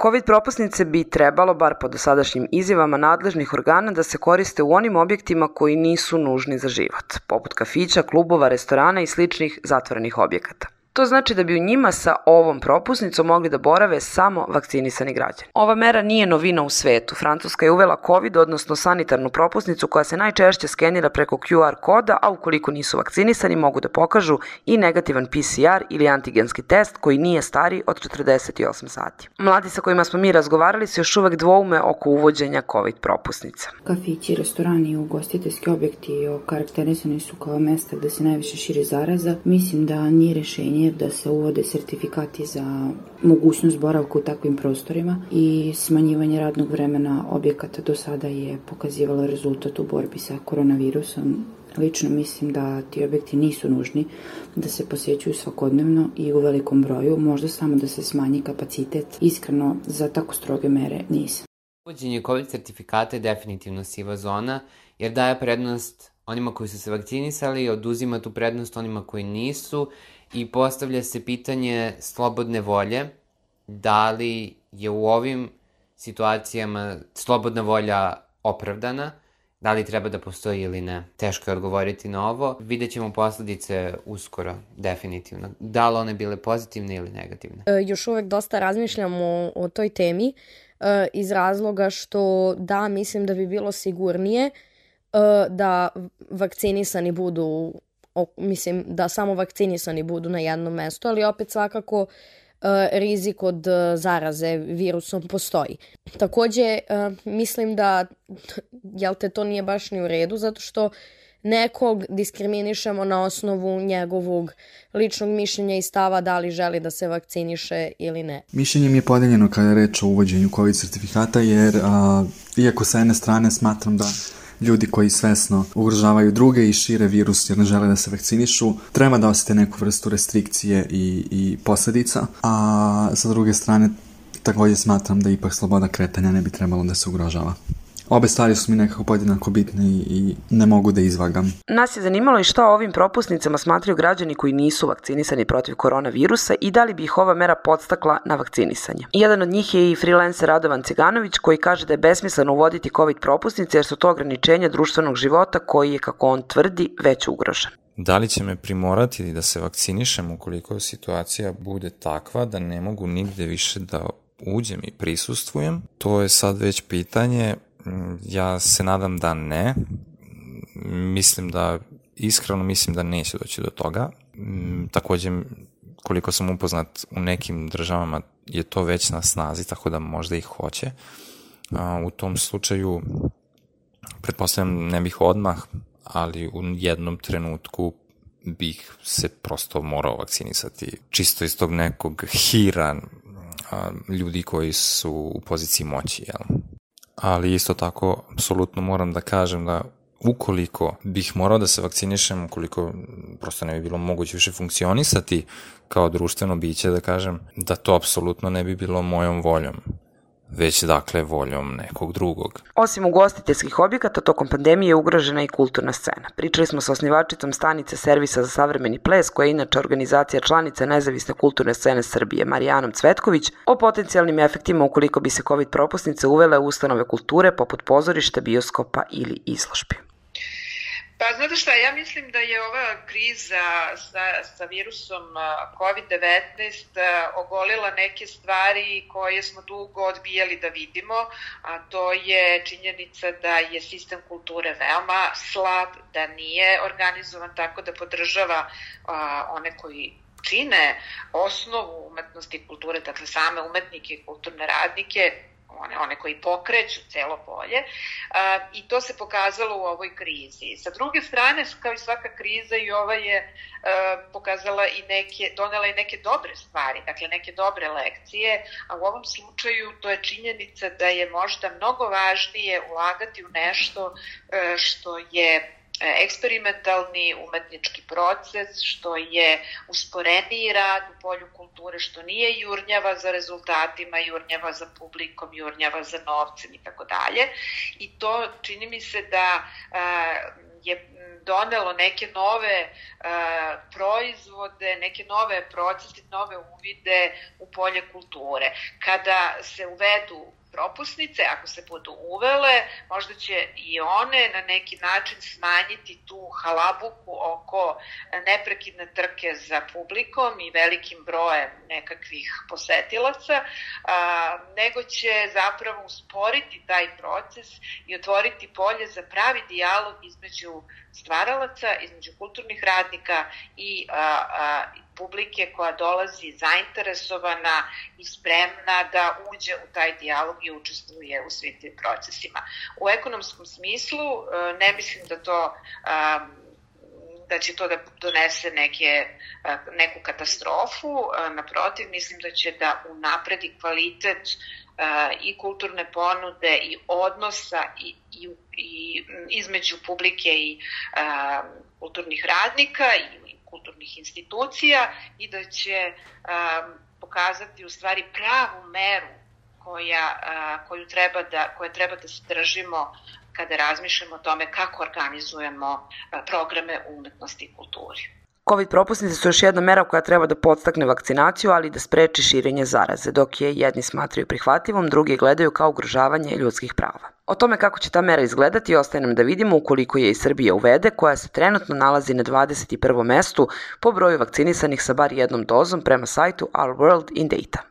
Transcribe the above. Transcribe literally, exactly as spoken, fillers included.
COVID propusnice bi trebalo, bar po dosadašnjim izjavama nadležnih organa, da se koriste u onim objektima koji nisu nužni za život, poput kafića, klubova, restorana i sličnih zatvorenih objekata. To znači da bi u njima sa ovom propusnicom mogli da borave samo vakcinisani građani. Ova mera nije novina u svetu. Francuska je uvela COVID, odnosno sanitarnu propusnicu koja se najčešće skenira preko Q R koda, a ukoliko nisu vakcinisani mogu da pokažu i negativan P C R ili antigenski test koji nije stariji od četrdeset osam sati. Mladi sa kojima smo mi razgovarali se još uvek dvoume oko uvođenja COVID propusnica. Kafići, restorani i ugostiteljski objekti okarakterisani su kao mesta gde se najviše širi zaraza. Mislim da nije rešenje da se uvode sertifikati za mogućnost boravka u takvim prostorima i smanjivanje radnog vremena objekata do sada je pokazivalo rezultat u borbi sa koronavirusom. Lično mislim da ti objekti nisu nužni da se posjećuju svakodnevno i u velikom broju, možda samo da se smanji kapacitet. Iskreno, za tako stroge mere nisam. Uvođenje COVID sertifikata je definitivno siva zona, jer daje prednost onima koji su se vakcinisali, oduzima tu prednost onima koji nisu i postavlja se pitanje slobodne volje, da li je u ovim situacijama slobodna volja opravdana, da li treba da postoji ili ne. Teško je odgovoriti na ovo. Vidjet ćemo posledice uskoro, definitivno. Da li one bile pozitivne ili negativne? E, još uvek dosta razmišljamo o toj temi e, iz razloga što da, mislim da bi bilo sigurnije e, da vakcinisani budu, o, mislim da samo vakcinisani budu na jednom mestu, ali opet svakako rizik od zaraze virusom postoji. Takođe, mislim da jel te, to nije baš ni u redu, zato što nekog diskriminišemo na osnovu njegovog ličnog mišljenja i stava da li želi da se vakciniše ili ne. Mišljenje mi je podeljeno kada je reč o uvođenju COVID sertifikata, jer a, iako sa jedne strane smatram da ljudi koji svesno ugrožavaju druge i šire virus jer ne žele da se vakcinišu, treba da osete neku vrstu restrikcije i, i posledica, a sa druge strane takođe smatram da ipak sloboda kretanja ne bi trebalo da se ugrožava. Obe stvari su mi nekako podjednako bitne i ne mogu da izvagam. Nas je zanimalo i šta o ovim propusnicama smatraju građani koji nisu vakcinisani protiv koronavirusa i da li bi ih ova mera podstakla na vakcinisanje. Jedan od njih je i freelancer Radovan Ciganović koji kaže da je besmisleno uvoditi COVID propusnice jer su to ograničenja društvenog života koji je, kako on tvrdi, već ugrožen. Da li će me primorati da se vakcinišem ukoliko situacija bude takva da ne mogu nigde više da uđem i prisustvujem? To je sad već pitanje. Ja se nadam da ne. Mislim da, iskreno mislim da neće doći do toga. Takođe, koliko sam upoznat, u nekim državama je to već na snazi, tako da možda ih hoće. U tom slučaju, pretpostavljam, ne bih odmah, ali u jednom trenutku bih se prosto morao vakcinisati. Čisto iz tog nekog hira ljudi koji su u poziciji moći, jel? Ali isto tako, apsolutno moram da kažem da ukoliko bih morao da se vakcinišem, ukoliko prosto ne bi bilo moguće više funkcionisati kao društveno biće, da kažem, da to apsolutno ne bi bilo mojom voljom, već dakle voljom nekog drugog. Osim ugostiteljskih objekata, tokom pandemije je ugrožena i kulturna scena. Pričali smo sa osnivačicom stanice Servisa za savremeni ples, koja je inače organizacija članica Nezavisne kulturne scene Srbije, Marijanom Cvetković, o potencijalnim efektima ukoliko bi se COVID propusnice uvele u ustanove kulture poput pozorišta, bioskopa ili izložbi. Pa znate šta, ja mislim da je ova kriza sa, sa virusom COVID devetnaest ogolila neke stvari koje smo dugo odbijali da vidimo, a to je činjenica da je sistem kulture veoma slab, da nije organizovan tako da podržava a, one koji čine osnovu umetnosti i kulture, dakle same umetnike i kulturne radnike, one, one koji pokreću celo polje, a, i to se pokazalo u ovoj krizi. Sa druge strane, kao i svaka kriza, i ova je a, pokazala i neke, donela i neke dobre stvari, dakle neke dobre lekcije, a u ovom slučaju to je činjenica da je možda mnogo važnije ulagati u nešto a, što je eksperimentalni umetnički proces, što je usporeniji rad u polju kulture, što nije jurnjava za rezultatima, jurnjava za publikom, jurnjava za novcem i tako dalje. I to čini mi se da je donelo neke nove proizvode, neke nove procese, nove uvide u polje kulture. Kada se uvedu propusnice, ako se budu uvele, možda će i one na neki način smanjiti tu halabuku oko neprekidne trke za publikom i velikim brojem nekakvih posetilaca, a, nego će zapravo usporiti taj proces i otvoriti polje za pravi dijalog između stvaralaca, između kulturnih radnika i a, a, publike koja dolazi zainteresovana i spremna da uđe u taj dijalog i učestvuje u svim tim procesima. U ekonomskom smislu ne mislim da to da će to da donese neke, neku katastrofu, naprotiv, mislim da će da unapredi kvalitet i kulturne ponude i odnosa i, i, i između publike i kulturnih radnika i kulturnih institucija i da će um, pokazati u stvari pravu meru koja, uh, koju treba da, koje treba da se držimo kada razmišljamo o tome kako organizujemo uh, programe umetnosti i kulturi. Covid propusnice su još jedna mera koja treba da podstakne vakcinaciju, ali i da spreči širenje zaraze, dok je jedni smatraju prihvatljivom, drugi gledaju kao ugrožavanje ljudskih prava. O tome kako će ta mera izgledati ostaje nam da vidimo ukoliko je i Srbija uvede, koja se trenutno nalazi na dvadeset prvom mestu po broju vakcinisanih sa bar jednom dozom prema sajtu Our World in Data.